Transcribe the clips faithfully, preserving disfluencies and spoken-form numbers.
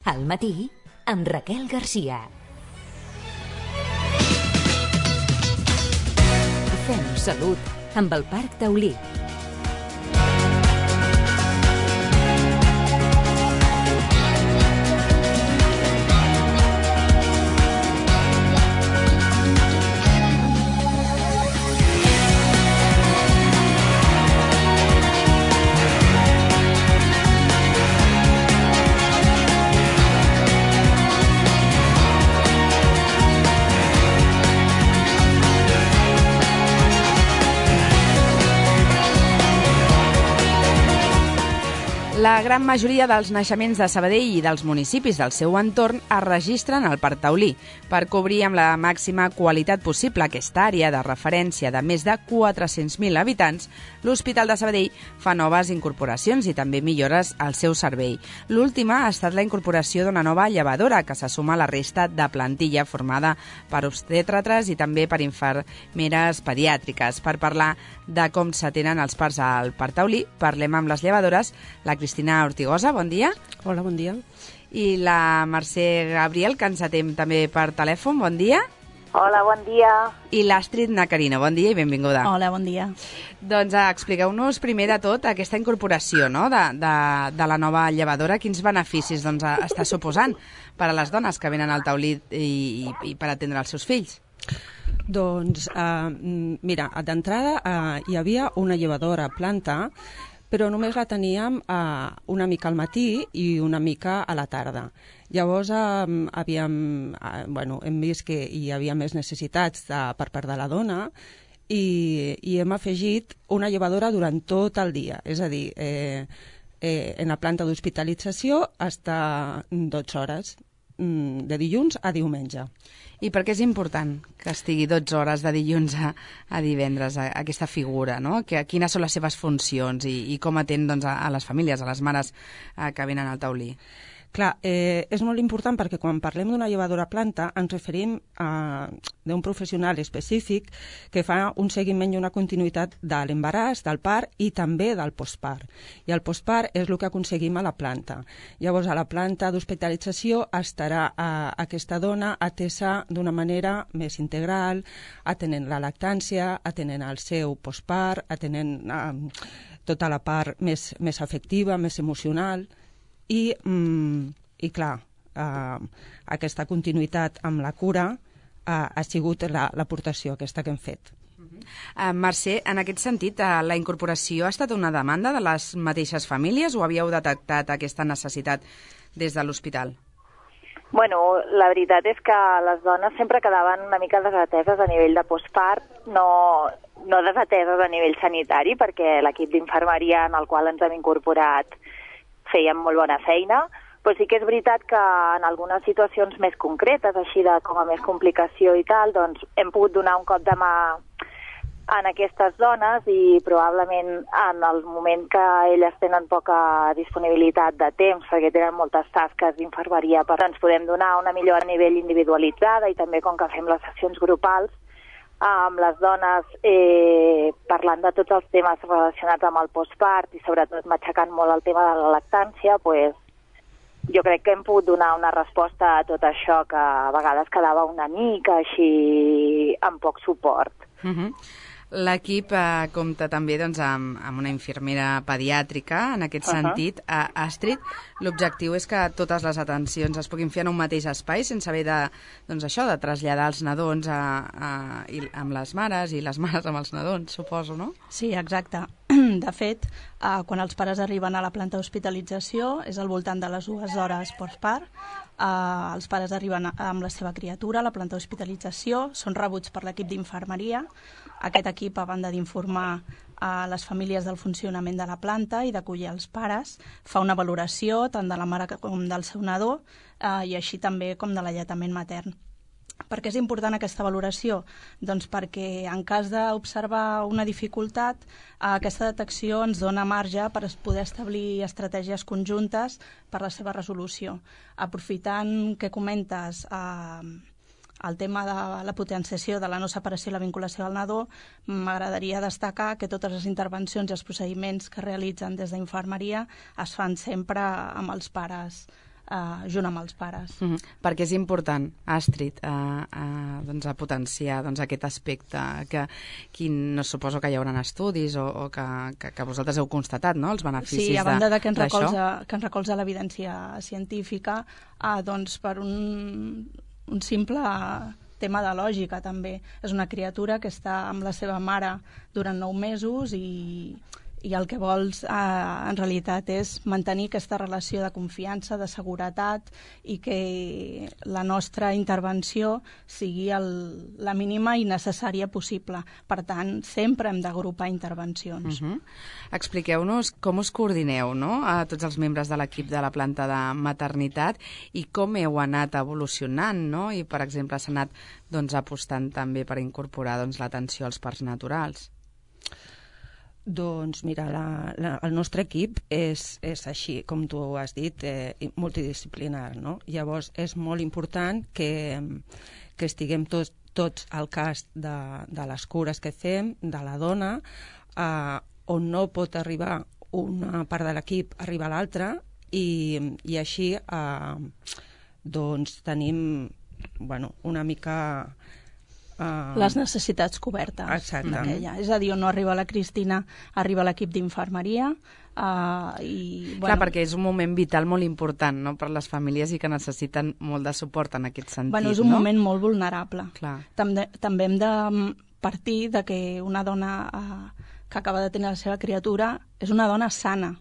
Al matí, amb Raquel Garcia. Fem salut amb el Parc Taulí. La gran majoria dels naixements de Sabadell i dels municipis del seu entorn es registren al Parc Taulí per cobrir amb la màxima qualitat possible aquesta àrea de referència de més de quatre-cents mil habitants. L'Hospital de Sabadell fa noves incorporacions i també millores al seu servei. L'última ha estat la incorporació d'una nova llevadora que se suma a la resta de plantilla formada per obstètriques i també per infermeres pediàtriques. Per parlar de com s'atenen els parts al Parc Taulí, parlem amb les llevadores, la Cristina Ortigosa, bon dia. Hola, bon dia. I la Mercè Gabriel, que ens atén també per telèfon, bon dia. Hola, bon dia. I l'Astrid Nacarino, bon dia i benvinguda. Hola, bon dia. Doncs expliqueu-nos primer de tot aquesta incorporació, no?, de, de, de la nova llevadora. Quins beneficis doncs, està suposant per a les dones que venen al Taulí i, i, i per atendre els seus fills? Doncs, eh, mira, d'entrada eh, hi havia una llevadora a planta, però només la teníem eh, una mica al matí i una mica a la tarda. Llavors eh, havíem, eh, bueno, hem vist que hi havia més necessitats de, per part de la dona i, i hem afegit una llevadora durant tot el dia. És a dir, eh, eh, en la planta d'hospitalització està dotze hores, de dilluns a diumenge. I per què és important que estigui dotze hores de dilluns a, a divendres, a, a aquesta figura, no? Que, quines són les seves funcions i, i com atén doncs, a, a les famílies, a les mares eh, que venen al Taulí? Clar, eh, és molt important perquè quan parlem d'una llevadora a planta ens referim a d'un professional específic que fa un seguiment i una continuïtat de l'embaràs, del part i també del postpart. I el postpart és el que aconseguim a la planta. Llavors, a la planta d'hospitalització estarà a, aquesta dona atesa d'una manera més integral, atenent la lactància, atenent el seu postpart, atenent eh, tota la part més, més afectiva, més emocional. I, mm, i clar, eh, aquesta continuïtat amb la cura eh, ha sigut l'aportació aquesta que hem fet. Uh-huh. uh, Mercè, en aquest sentit, uh, la incorporació ha estat una demanda de les mateixes famílies o havíeu detectat aquesta necessitat des de l'hospital? Bueno, la veritat és que les dones sempre quedaven una mica desateses a nivell de postpart, no, no desateses a nivell sanitari, perquè l'equip d'infermeria en el qual ens hem incorporat feien molt bona feina, però sí que és veritat que en algunes situacions més concretes, així de com a més complicació i tal, doncs hem pogut donar un cop de mà en aquestes dones i probablement en el moment que elles tenen poca disponibilitat de temps, perquè tenen moltes tasques d'infermeria, però ens podem donar una millor a nivell individualitzada i també com que fem les sessions grupals, amb les dones eh, parlant de tots els temes relacionats amb el postpart i sobretot matxacant molt el tema de la lactància, pues, jo crec que hem pogut donar una resposta a tot això que a vegades quedava una mica així amb poc suport. Uh-huh. L'equip eh, compta també doncs, amb, amb una infermera pediàtrica, en aquest uh-huh. sentit. A Astrid, l'objectiu és que totes les atencions es puguin fer en un mateix espai sense haver de, doncs, això, de traslladar els nadons a, a, i, amb les mares i les mares amb els nadons, suposo, no? Sí, exacte. De fet, eh, quan els pares arriben a la planta d'hospitalització és al voltant de les dues hores postpart. Eh, els pares arriben amb la seva criatura a la planta d'hospitalització, són rebuts per l'equip d'infermeria. Aquest equip, a banda d'informar a les famílies del funcionament de la planta i d'acollir els pares, fa una valoració tant de la mare com del seu nadó eh, i així també com de l'alletament matern. Per què és important aquesta valoració? Doncs perquè en cas d'observar una dificultat, aquesta detecció ens dona marge per poder establir estratègies conjuntes per la seva resolució. Aprofitant que comentes eh, el tema de la potenciació de la no separació i la vinculació del nadó, m'agradaria destacar que totes les intervencions i els procediments que realitzen des d'infermeria es fan sempre amb els pares eh, junt amb els pares. Mm-hmm. Perquè és important, Astrid, a, a, doncs a potenciar doncs, aquest aspecte que, que no suposo que hi haurà estudis o, o que, que, que vosaltres heu constatat, no?, els beneficis sí, a banda de, de, que ens d'això. recolza, que ens recolza l'evidència científica, eh, doncs per un, un simple tema de lògica també. És una criatura que està amb la seva mare durant nou mesos i i el que vols eh, en realitat és mantenir aquesta relació de confiança, de seguretat i que la nostra intervenció sigui el, la mínima i necessària possible. Per tant, sempre hem d'agrupar intervencions. Uh-huh. Expliqueu-nos com us coordineu, no?, a tots els membres de l'equip de la planta de maternitat i com heu anat evolucionant, no?, i per exemple s'ha anat doncs, apostant també per incorporar doncs, l'atenció als parts naturals. Doncs mira, la, la, el nostre equip és, és així, com tu has dit, eh, multidisciplinar, no? Llavors és molt important que, que estiguem tots, tots al cas de, de les cures que fem, de la dona, eh, on no pot arribar una part de l'equip, arriba l'altra, i, i així eh, doncs tenim bueno, una mica... Uh, les necessitats cobertes. Exacte. D'aquella. És a dir, on no arriba la Cristina, arriba l'equip d'infermeria. Uh, i, bueno... Clar, perquè és un moment vital molt important, no?, per les famílies i que necessiten molt de suport en aquest sentit. Bueno, és un no? moment molt vulnerable. Clar. També, també hem de partir de que una dona uh, que acaba de tenir la seva criatura és una dona sana.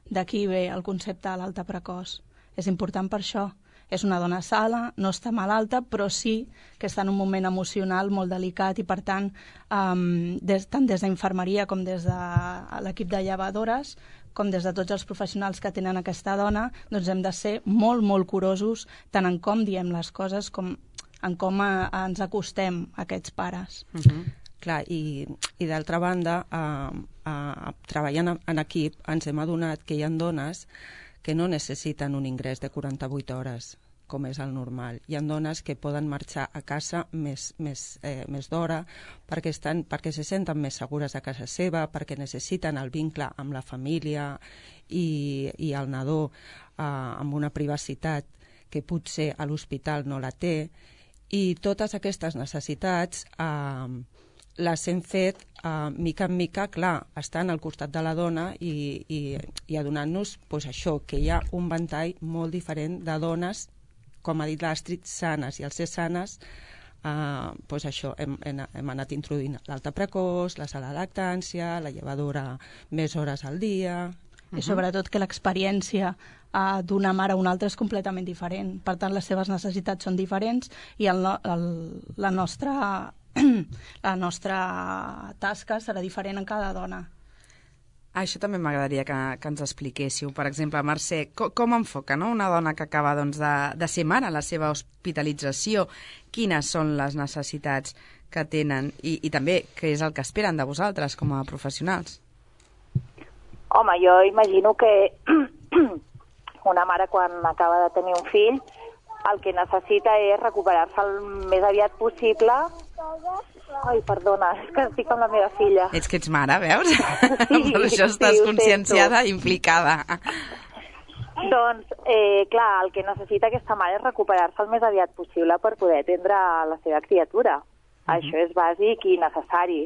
D'aquí ve el concepte de l'alta precoç. És important per això. És una dona sana, no està malalta, però sí que està en un moment emocional molt delicat i, per tant, um, des, tant des d'infermeria com des de l'equip de llevadores, com des de tots els professionals que tenen aquesta dona, doncs hem de ser molt, molt curosos tant en com diem les coses com en com a, a ens acostem a aquests pares. Uh-huh. Clar, i, i d'altra banda, eh, eh, treballant en equip, ens hem adonat que hi ha dones que no necessiten un ingrés de quaranta-vuit hores, com és el normal. Hi ha dones que poden marxar a casa més, més, eh, més d'hora perquè, estan, perquè se senten més segures a casa seva, perquè necessiten el vincle amb la família i, i el nadó eh, amb una privacitat que potser a l'hospital no la té. I totes aquestes necessitats eh, les hem fet uh, mica en mica, clar, estant al costat de la dona i, i, i adonant-nos pues, això, que hi ha un ventall molt diferent de dones, com ha dit l'Astrid, sanes, i al ser sanes uh, pues, això, hem, hem, hem anat introduint l'alta precoç, la sala de lactància, la llevadora més hores al dia... I sobretot que l'experiència uh, d'una mare a una altra és completament diferent. Per tant, les seves necessitats són diferents i el, el, la nostra... la nostra tasca serà diferent en cada dona. Això també m'agradaria que, que ens expliquéssiu. Per exemple, Mercè, com, com enfoca, no?, una dona que acaba doncs, de, de ser mare, la seva hospitalització? Quines són les necessitats que tenen i, i també què és el que esperen de vosaltres com a professionals? Home, jo imagino que una mare quan acaba de tenir un fill el que necessita és recuperar-se el més aviat possible. Ai, perdona, és que estic amb la meva filla. Ets que ets mare, veus? Sí, per això estàs sí, conscienciada i implicada. Doncs, eh, clar, el que necessita aquesta mare és recuperar-se el més aviat possible per poder atendre la seva criatura. Uh-huh. Això és bàsic i necessari.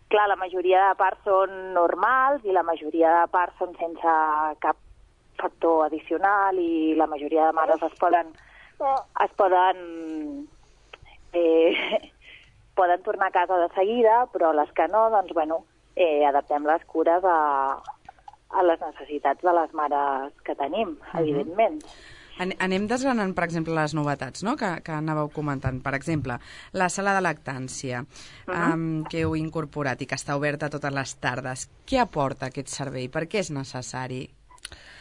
Clar, la majoria de parts són normals i la majoria de parts són sense cap factor addicional i la majoria de mares es poden es poden eh, poden tornar a casa de seguida, però les que no, doncs, bueno, eh, adaptem les cures a, a les necessitats de les mares que tenim, uh-huh. evidentment. Anem desgranant, per exemple, les novetats, no?, que, que anàveu comentant. Per exemple, la sala de lactància, uh-huh. um, que heu incorporat i que està oberta totes les tardes. Què aporta aquest servei? Per què és necessari?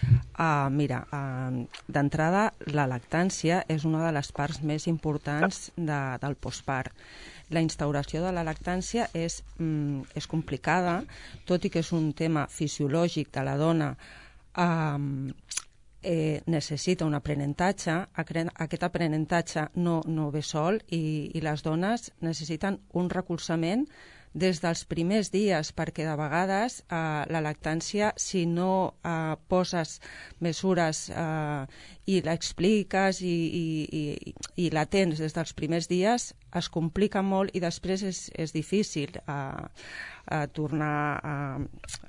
Uh, mira, uh, d'entrada, la lactància és una de les parts més importants de, del postpart. La instauració de la lactància és, mm, és complicada, tot i que és un tema fisiològic de la dona, uh, eh, necessita un aprenentatge. Aquest aprenentatge no, no ve sol i, i les dones necessiten un recolzament des dels primers dies, perquè de vegades eh, la lactància, si no eh, poses mesures eh, i l'expliques i, i, i, i la tens des dels primers dies, es complica molt i després és, és difícil eh, a tornar a,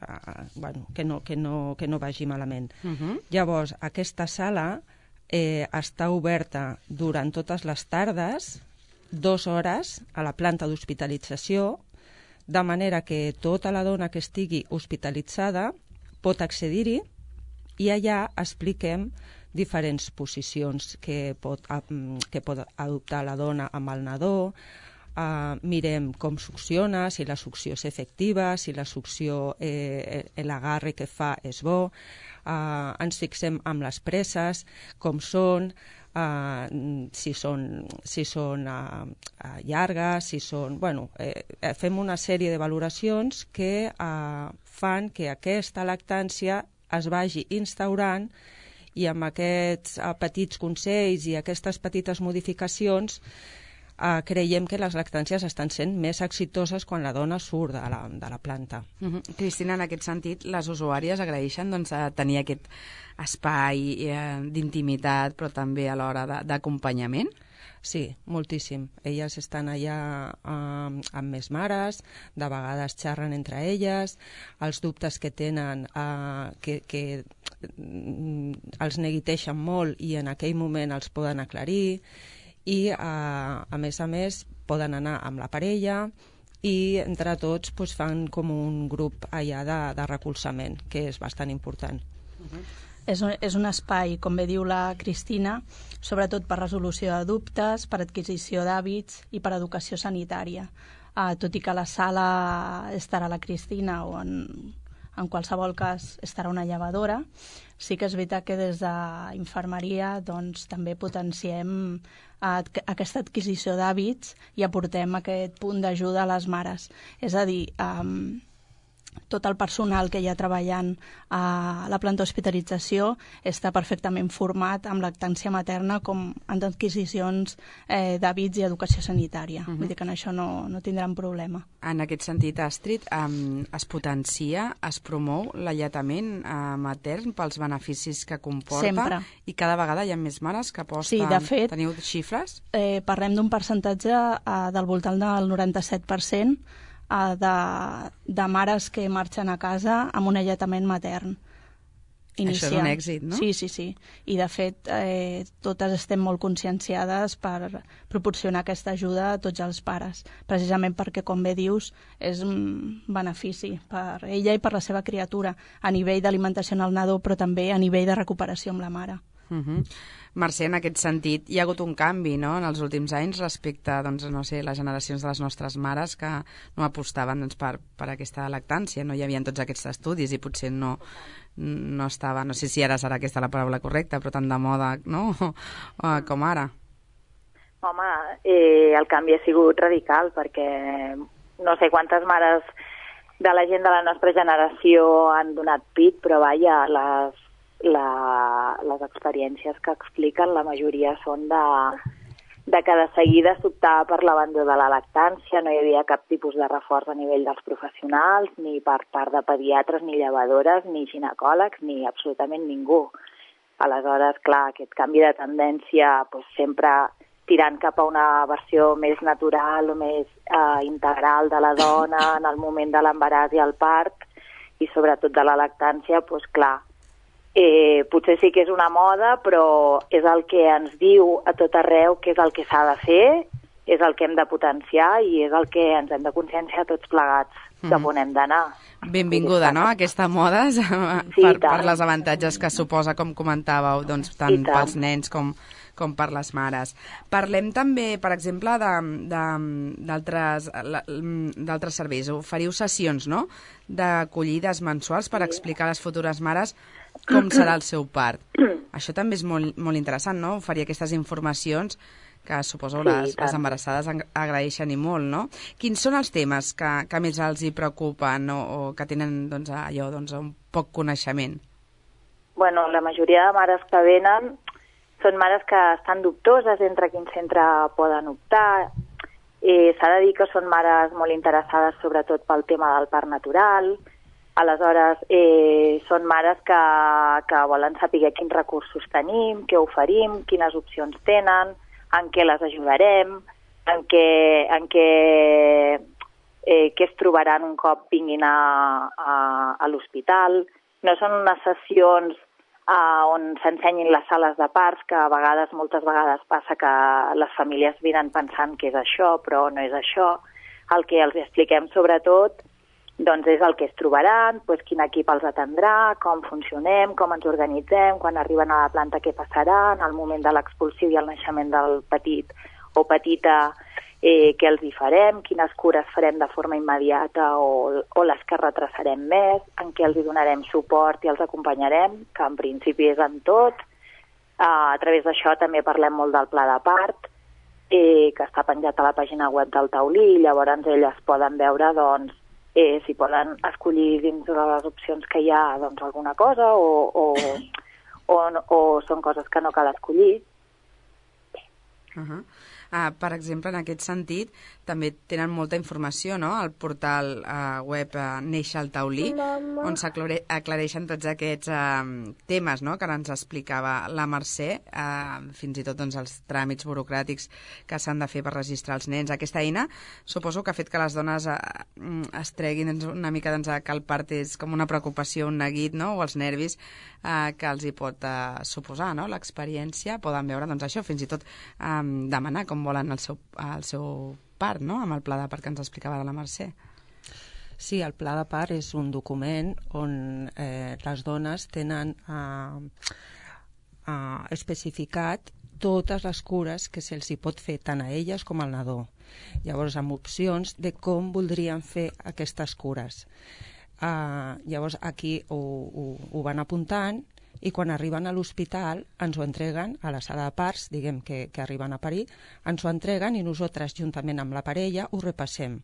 a, bueno, que, no, que, no, que no vagi malament. Uh-huh. Llavors, aquesta sala eh, està oberta durant totes les tardes, dues hores a la planta d'hospitalització, de manera que tota la dona que estigui hospitalitzada pot accedir-hi i allà expliquem diferents posicions que pot, que pot adoptar la dona amb el nadó, uh, mirem com succiona, si la succió és efectiva, si la succió, eh, l'agarre que fa és bo, uh, ens fixem amb les presses, com són, Uh, si són, si són uh, uh, llargues, si són... Bueno, eh, fem una sèrie de valoracions que uh, fan que aquesta lactància es vagi instaurant i amb aquests uh, petits consells i aquestes petites modificacions Uh, creiem que les lactàncies estan sent més exitoses quan la dona surt de la, de la planta. Uh-huh. Cristina, en aquest sentit, les usuàries agraeixen doncs, a tenir aquest espai eh, d'intimitat, però també a l'hora d'acompanyament? Sí, moltíssim. Elles estan allà eh, amb més mares, de vegades xerren entre elles, els dubtes que tenen eh, que, que els neguiteixen molt i en aquell moment els poden aclarir, i a, a més a més poden anar amb la parella i entre tots pues, fan com un grup allà de, de recolzament, que és bastant important. Uh-huh. És un, és un espai, com bé diu la Cristina, sobretot per resolució de dubtes, per adquisició d'hàbits i per educació sanitària. Uh, tot i que la sala estarà la Cristina o en, en qualsevol cas estarà una llevadora, sí que és veritat que des d'infermeria doncs, també potenciem aquesta adquisició d'hàbits i aportem aquest punt d'ajuda a les mares. És a dir, um, tot el personal que hi ha treballant a la planta d'hospitalització està perfectament format amb lactància materna com en adquisicions eh, d'hàbits i educació sanitària. Uh-huh. Vull dir que en això no, no tindran problema. En aquest sentit, Astrid, um, es potencia, es promou l'alletament uh, matern pels beneficis que comporta. Sempre. I cada vegada hi ha més mares que aposten. Sí, de fet, teniu xifres? Eh, parlem d'un percentatge uh, del voltant del noranta-set per cent De, de mares que marxen a casa amb un alletament matern inicial. Això és un èxit, no? Sí, sí, sí. I de fet, eh, totes estem molt conscienciades per proporcionar aquesta ajuda a tots els pares, precisament perquè, com bé dius, és un benefici per ella i per la seva criatura, a nivell d'alimentació en el nadó, però també a nivell de recuperació amb la mare. Uh-huh. Mercè, en aquest sentit, hi ha hagut un canvi, no?, en els últims anys respecte, doncs, no sé, les generacions de les nostres mares que no apostaven doncs, per, per aquesta lactància, no hi havia tots aquests estudis i potser no, no estava, no sé si ara serà aquesta la paraula correcta, però tant de moda, no?, com ara. Home, eh, el canvi ha sigut radical perquè no sé quantes mares de la gent de la nostra generació han donat pit, però vaja, les La, les experiències que expliquen, la majoria són de, de que de seguida s'optava per l'abandó de la lactància, no hi havia cap tipus de reforç a nivell dels professionals, ni per part de pediatres, ni llevadores, ni ginecòlegs, ni absolutament ningú. Aleshores, clar, aquest canvi de tendència doncs, sempre tirant cap a una versió més natural o més eh, integral de la dona en el moment de l'embaràs i el part, i sobretot de la lactància, doncs clar, Eh, potser sí que és una moda, però és el que ens diu a tot arreu que és el que s'ha de fer, és el que hem de potenciar i és el que ens hem de conscienciar tots plegats cap mm. on hem d'anar. Benvinguda, no?, aquesta moda sí, per, per les avantatges que suposa, com comentàveu, doncs, tant, tant pels nens com, com per les mares. Parlem també, per exemple, d'altres serveis. Oferiu sessions, no?, d'acollides mensuals per explicar a les futures mares com serà el seu part. Això també és molt, molt interessant, no?, oferir aquestes informacions que suposo sí, les, les embarassades agraeixen i molt, no? Quins són els temes que, que més els hi preocupen o, o que tenen doncs, allò, doncs, un poc coneixement? Bueno, la majoria de mares que venen són mares que estan dubtoses entre quin centre poden optar Eh, S'ha de dir que són mares molt interessades sobretot pel tema del parc natural. Aleshores, eh, són mares que, que volen saber quins recursos tenim, què oferim, quines opcions tenen, en què les ajudarem, en què, en què, eh, què es trobaran un cop vinguin a, a, a l'hospital. No són unes sessions eh, on s'ensenyin les sales de parts, que a vegades, moltes vegades passa que les famílies vinen pensant que és això, però no és això. El que els expliquem sobretot doncs és el que es trobaran, doncs quin equip els atendrà, com funcionem, com ens organitzem, quan arriben a la planta què passarà, en el moment de l'expulsiu i el naixement del petit o petita, eh, què els hi farem, quines cures farem de forma immediata o, o les que retrasarem més, en què els hi donarem suport i els acompanyarem, que en principi és en tot. Uh, a través d'això també parlem molt del pla de part, eh, que està penjat a la pàgina web del Taulí, i llavors elles poden veure, doncs, Eh, si poden escollir dins de les opcions que hi ha doncs, alguna cosa o, o, o, o són coses que no cal escollir. Uh-huh. Uh, per exemple, en aquest sentit, també tenen molta informació, no?, al portal uh, web uh, Neix el Taulí, Mama. On s'aclareixen tots aquests uh, temes, no?, que ara ens explicava la Mercè, uh, fins i tot doncs, els tràmits burocràtics que s'han de fer per registrar els nens. Aquesta eina suposo que ha fet que les dones uh, es treguin una mica doncs, que el part és com una preocupació, un neguit, no?, o els nervis uh, que els hi pot uh, suposar, no?, l'experiència. Poden veure doncs, això, fins i tot um, demanar com volen el seu, el seu part, no?, amb el pla de part que ens explicava de la Mercè. Sí, el pla de part és un document on eh, les dones tenen eh, eh, especificat totes les cures que se'ls hi pot fer tant a elles com al nadó. Llavors, amb opcions de com voldrien fer aquestes cures. Eh, llavors, aquí ho, ho, ho van apuntant, i quan arriben a l'hospital ens ho entreguen a la sala de parts, diguem que, que arriben a parir, ens ho entreguen i nosaltres, juntament amb la parella, ho repassem.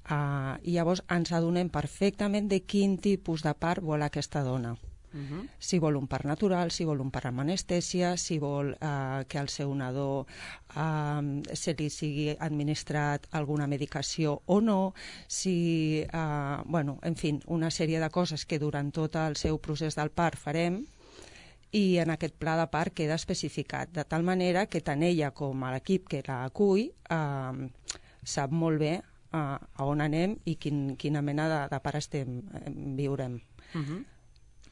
Uh, I llavors ens adonem perfectament de quin tipus de part vol aquesta dona. Uh-huh. Si vol un part natural, si vol un part amb anestèsia, si vol uh, que al seu nadó uh, se li sigui administrat alguna medicació o no, si, uh, bueno, en fi, una sèrie de coses que durant tot el seu procés del part farem, i en aquest pla de part queda especificat, de tal manera que tant ella com l'equip que la acull eh, sap molt bé eh, a on anem i quin, quina mena de, de part estem, eh, viurem. Uh-huh.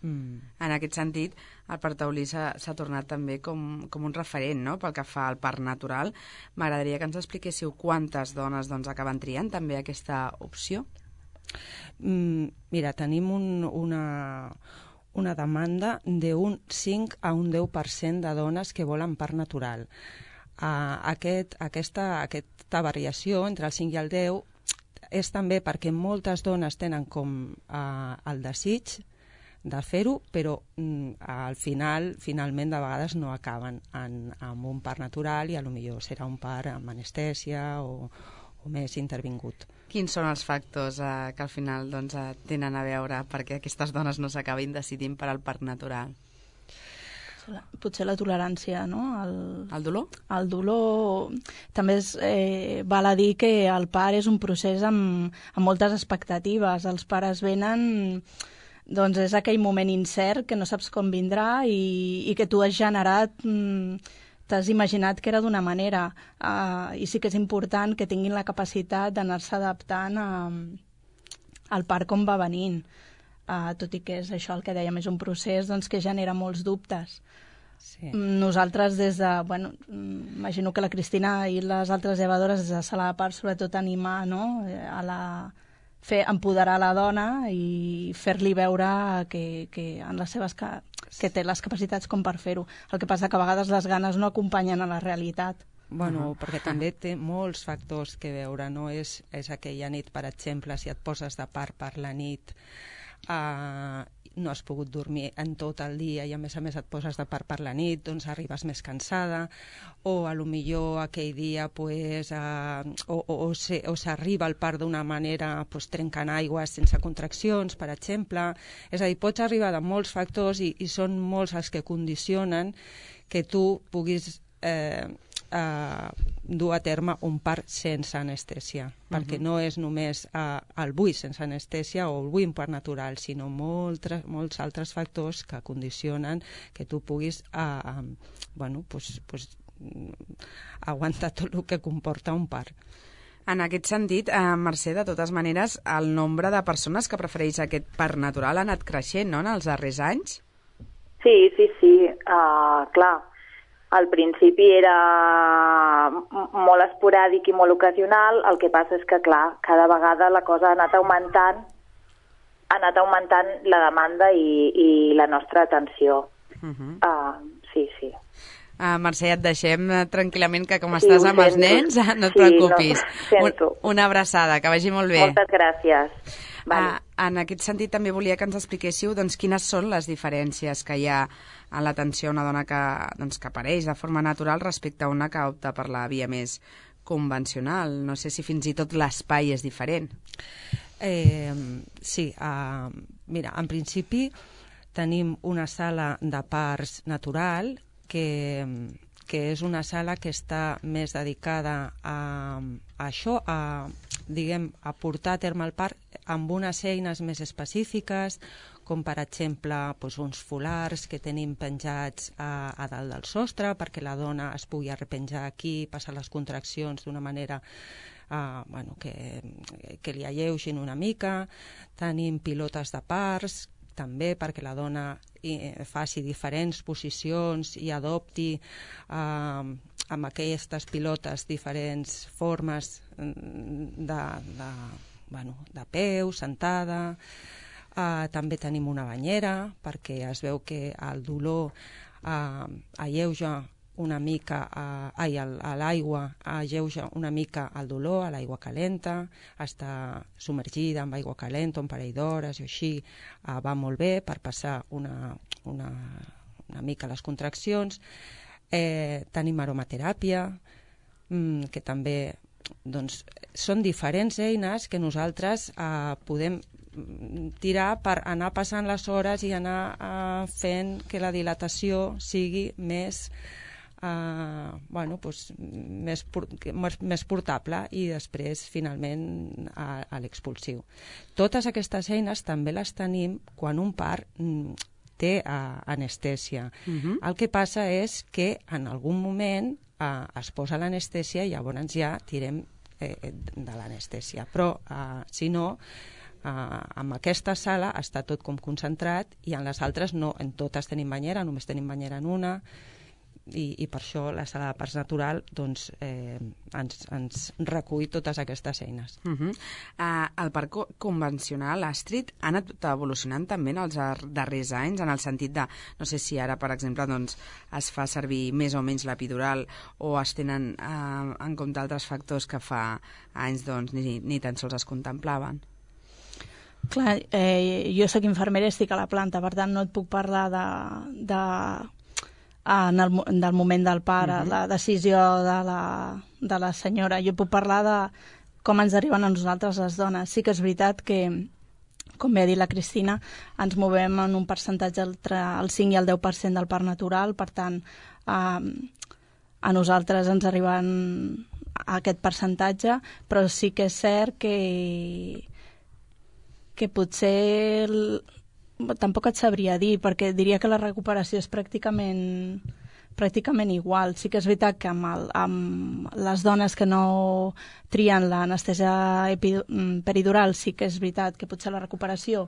mm. En aquest sentit, el Parc Taulí s'ha tornat també com, com un referent, no?, pel que fa al parc natural. M'agradaria que ens expliquéssiu quantes dones doncs, acaben triant també aquesta opció. Mm, mira, tenim un, una... una demanda d'un cinc a un deu per cent de dones que volen part natural. Uh, aquest, aquesta, aquesta variació entre el cinc i el deu és també perquè moltes dones tenen com uh, el desig de fer-ho, però mm, al final, finalment, de vegades no acaben en, amb un part natural i potser serà un part amb anestèsia o, o més intervingut. Quins són els factors eh, que al final doncs, eh, tenen a veure perquè aquestes dones no s'acabin decidint per al parc natural? Potser la tolerància, no? El, el dolor? El dolor. També és, eh, val a dir que el part és un procés amb, amb moltes expectatives. Els pares venen... Doncs és aquell moment incert que no saps com vindrà i, i que tu has generat... Mm, t'has imaginat que era d'una manera, uh, i sí que és important que tinguin la capacitat d'anar-se adaptant a, al part com va venint, uh, tot i que és això el que dèiem, és un procés doncs, que genera molts dubtes. Sí. Nosaltres des de, bueno, imagino que la Cristina i les altres llevadores des de sala de part sobretot animar, no?, a la... fer empoderar la dona i fer-li veure que, que, en les seves ca... que té les capacitats com per fer-ho. El que passa que a vegades les ganes no acompanyen a la realitat. Bueno, uh-huh. perquè també té molts factors que veure, no? És, és aquella nit, per exemple, si et poses de part per la nit, uh, no has pogut dormir en tot el dia i a més a més et poses de part per la nit, doncs arribes més cansada, o a lo millor aquell dia pues, uh, o, o, o, se, o s'arriba al part d'una manera pues, trencant aigües sense contraccions, per exemple. És a dir, pots arribar de molts factors i, i són molts els que condicionen que tu puguis eh, eh, dur a terme un part sense anestèsia, uh-huh. perquè no és només uh, el buit sense anestèsia o el buit en part natural, sinó molts, molts altres factors que condicionen que tu puguis uh, um, bueno, pues, pues, aguantar tot el que comporta un part. En aquest sentit, eh, Mercè, de totes maneres, el nombre de persones que prefereix aquest part natural ha anat creixent, no?, en els darrers anys? Sí, sí, sí, uh, clar. Al principi era molt esporàdic i molt ocasional, el que passa és que, clar, cada vegada la cosa ha anat augmentant, ha anat augmentant la demanda i, i la nostra atenció. Uh-huh. Uh, sí, sí. Uh, Mercè, et deixem tranquil·lament, que com sí, estàs amb els nens, no et sí, preocupis. No, Un, una abraçada, que vagi molt bé. Moltes gràcies. Vale. Uh, en aquest sentit, també volia que ens expliquéssiu doncs, quines són les diferències que hi ha a l'atenció a una dona que, doncs, que apareix de forma natural respecte a una que opta per la via més convencional. No sé si fins i tot l'espai és diferent. Eh, sí, uh, mira, en principi tenim una sala de parts natural que, que és una sala que està més dedicada a, a això, a, diguem, a portar a terme el part amb unes eines més específiques, com per exemple doncs, uns folars que tenim penjats a, a dalt del sostre perquè la dona es pugui arrepenjar aquí, passar les contraccions d'una manera uh, bueno, que, que li alleugin una mica. Tenim pilotes de parts, també perquè la dona eh, faci diferents posicions i adopti eh, amb aquestes pilotes diferents formes de, de, bueno, de peu, sentada. Eh, també tenim una banyera perquè es veu que el dolor eh, alleuja una mica, a, ai, a l'aigua alleuja una mica el dolor, a l'aigua calenta, està submergida amb aigua calenta un parell d'hores i així uh, va molt bé per passar una, una, una mica les contraccions. Eh, tenim aromateràpia, mm, que també doncs, són diferents eines que nosaltres uh, podem tirar per anar passant les hores i anar uh, fent que la dilatació sigui més Uh, bueno, pues, més, més portable i després finalment a, a l'expulsiu. Totes aquestes eines també les tenim quan un part mm, té uh, anestèsia. Uh-huh. El que passa és que en algun moment uh, es posa l'anestèsia i llavors ja tirem eh, de l'anestèsia, però uh, si no uh, amb aquesta sala està tot com concentrat i en les altres no, en totes tenim banyera, només tenim banyera en una. I, i per això la sala de parts natural doncs, eh, ens, ens recull totes aquestes eines. Uh-huh. uh, el parc co convencional, Astrid, ha anat evolucionant també en els darrers anys, en el sentit de, no sé si ara, per exemple, doncs, es fa servir més o menys l'epidural o es tenen uh, en compte altres factors que fa anys doncs, ni, ni tan sols es contemplaven. Clar, eh, jo soc infermera i estic a la planta, per tant no et puc parlar de... de... en el, del moment del part, uh-huh. la decisió de la, de la senyora. Jo puc parlar de com ens arriben a nosaltres les dones. Sí que és veritat que, com bé ha dit la Cristina, ens movem en un percentatge entre el cinc i el deu per cent del part natural, per tant, eh, a nosaltres ens arriben a aquest percentatge, però sí que és cert que, que potser... El, tampoc et sabria dir, perquè diria que la recuperació és pràcticament, pràcticament igual. Sí que és veritat que amb, el, amb les dones que no trien l'anestèsia peridural sí que és veritat que potser la recuperació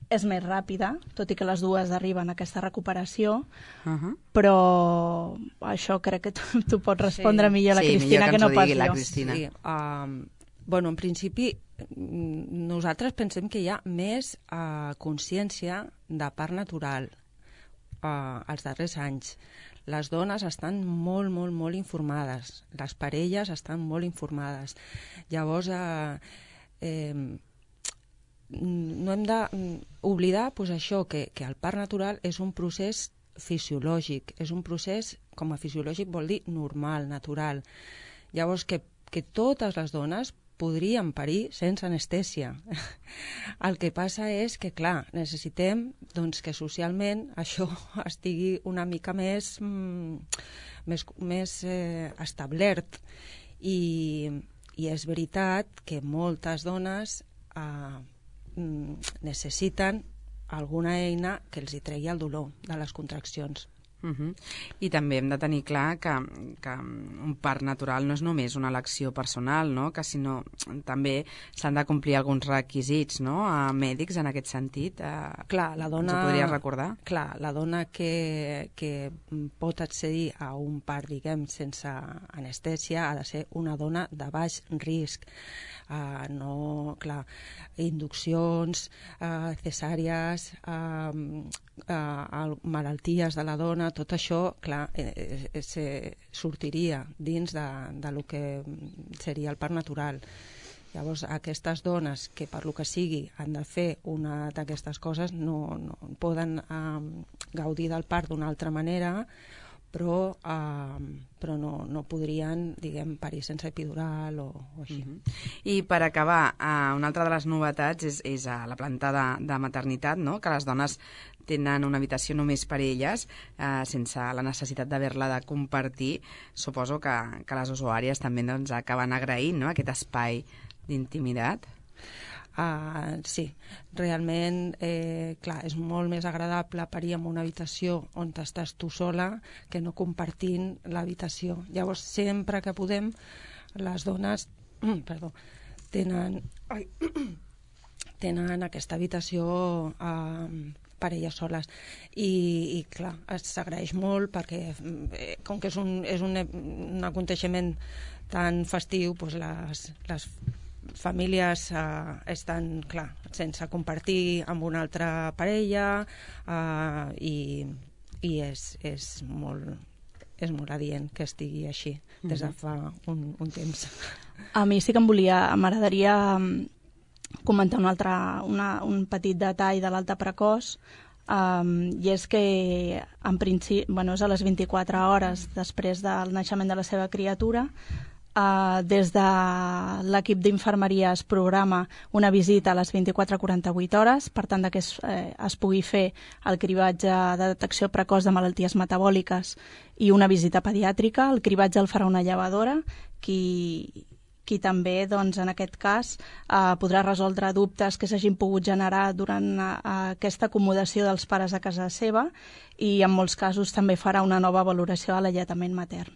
és més ràpida, tot i que les dues arriben a aquesta recuperació, uh-huh. però això crec que tu, tu pots respondre sí. millor a la sí, Cristina que, que no pas jo. Sí, um, bueno, en principi nosaltres pensem que hi ha més uh, consciència de part natural uh, als darrers anys. Les dones estan molt, molt, molt informades. Les parelles estan molt informades. Llavors, uh, eh, no hem d'oblidar pues, això, que, que el part natural és un procés fisiològic. És un procés, com a fisiològic vol dir normal, natural. Llavors, que, que totes les dones podríem parir sense anestèsia. El que passa és que, clar, necessitem doncs, que socialment això estigui una mica més, mm, més, més eh, establert. I, I és veritat que moltes dones eh, necessiten alguna eina que els hi tregui el dolor de les contraccions. Uh-huh. I també hem de tenir clar que, que un part natural no és només una elecció personal, no? Que sinó també s'han de complir alguns requisits, no? A mèdics en aquest sentit. Eh, clar, la dona, ens ho podries recordar? Clar, la dona que, que pot accedir a un part, diguem, sense anestèsia ha de ser una dona de baix risc. Uh, no, clar, induccions, uh, cesàries, uh, uh, malalties de la dona, tot això, clar, eh, eh, se sortiria dins de, de lo que seria el part natural. Llavors, aquestes dones que per lo que sigui han de fer una d'aquestes coses no, no poden uh, gaudir del part d'una altra manera, però, uh, però no, no podrien, diguem, parir sense epidural o, o així. Uh-huh. I per acabar, uh, una altra de les novetats és, és a la planta de, de maternitat, no? Que les dones tenen una habitació només per elles, eh, sense la necessitat d'haver-la de compartir. Suposo que, que les usuàries també doncs, acaben agraint, no?, aquest espai d'intimitat. Uh, sí, realment, eh, clar, és molt més agradable parir en una habitació on estàs tu sola que no compartint l'habitació. Llavors, sempre que podem, les dones perdó, tenen, ai, tenen aquesta habitació eh, per elles soles. I, i clar, s'agraeix molt perquè, eh, com que és un, és un, un aconteixement tan festiu, doncs les, les famílies eh, estan, clar, sense compartir amb una altra parella eh, i, i és, és molt és molt adient que estigui així des de fa un, un temps. A mi sí que em volia, m'agradaria comentar un, altre, una, un petit detall de l'alta precoç, um, i és que en principi, bueno, és a les vint-i-quatre hores després del naixement de la seva criatura. Uh, des de l'equip d'infermeria es programa una visita a les vint-i-quatre a quaranta-vuit hores, per tant que es, eh, es pugui fer el cribatge de detecció precoç de malalties metabòliques i una visita pediàtrica. El cribatge el farà una llevadora, qui, qui també, doncs, en aquest cas, eh, podrà resoldre dubtes que s'hagin pogut generar durant eh, aquesta acomodació dels pares a casa seva, i en molts casos també farà una nova valoració a l'alletament matern.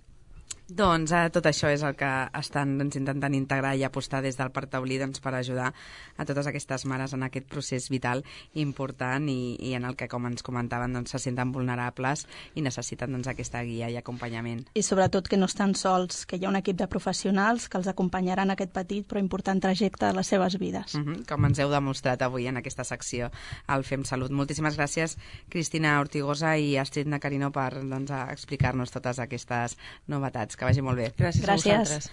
Doncs eh, tot això és el que estan doncs, intentant integrar i apostar des del Parc Taulí doncs, per ajudar a totes aquestes mares en aquest procés vital important i, i en el que, com ens comentaven, doncs, se senten vulnerables i necessiten doncs, aquesta guia i acompanyament. I sobretot que no estan sols, que hi ha un equip de professionals que els acompanyaran aquest petit però important trajecte de les seves vides. Uh-huh, com ens heu demostrat avui en aquesta secció al Fem Salut. Moltíssimes gràcies, Cristina Ortigosa i Astrid Nacarino, per doncs, explicar-nos totes aquestes novetats. Que vagi molt bé. Gràcies, Gràcies. a vosaltres.